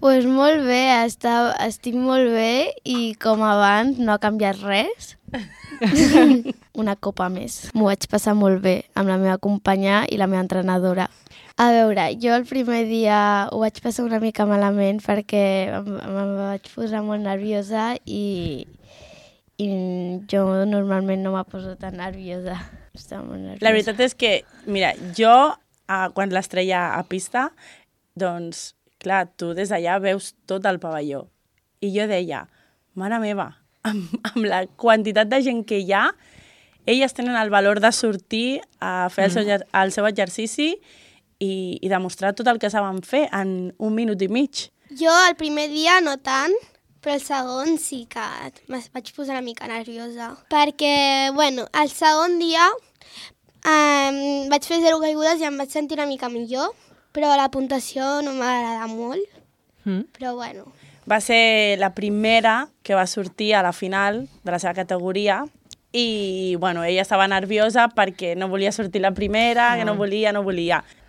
Pues molt bé, estic molt bé i com abans no ha canviat res. Una copa més. M'ho vaig passar molt bé amb la meva companya i la meva entrenadora. A veure, jo el primer dia ho vaig passar una mica malament perquè em vaig posar molt nerviosa i jo normalment no me poso tan nerviosa. Estava molt nerviosa. La veritat és que, mira, jo quan l'estrella a pista, doncs, clar, tu des d'allà veus tot el pavelló. I jo deia, mare meva, amb la quantitat de gent que hi ha, elles tenen el valor de sortir a fer el seu exercici i demostrar tot el que saben fer en 1 minut i mig. Jo el primer dia no tant, però el segon sí que vaig posar una mica nerviosa. Perquè, bueno, el segon dia vaig fer 0 caigudes i em vaig sentir una mica millor, però la puntuació no m'agrada molt. Però, bueno. Va ser la primera que va sortir a la final de la seva categoria i, bueno, ella estava nerviosa perquè no volia sortir la primera, que no volia.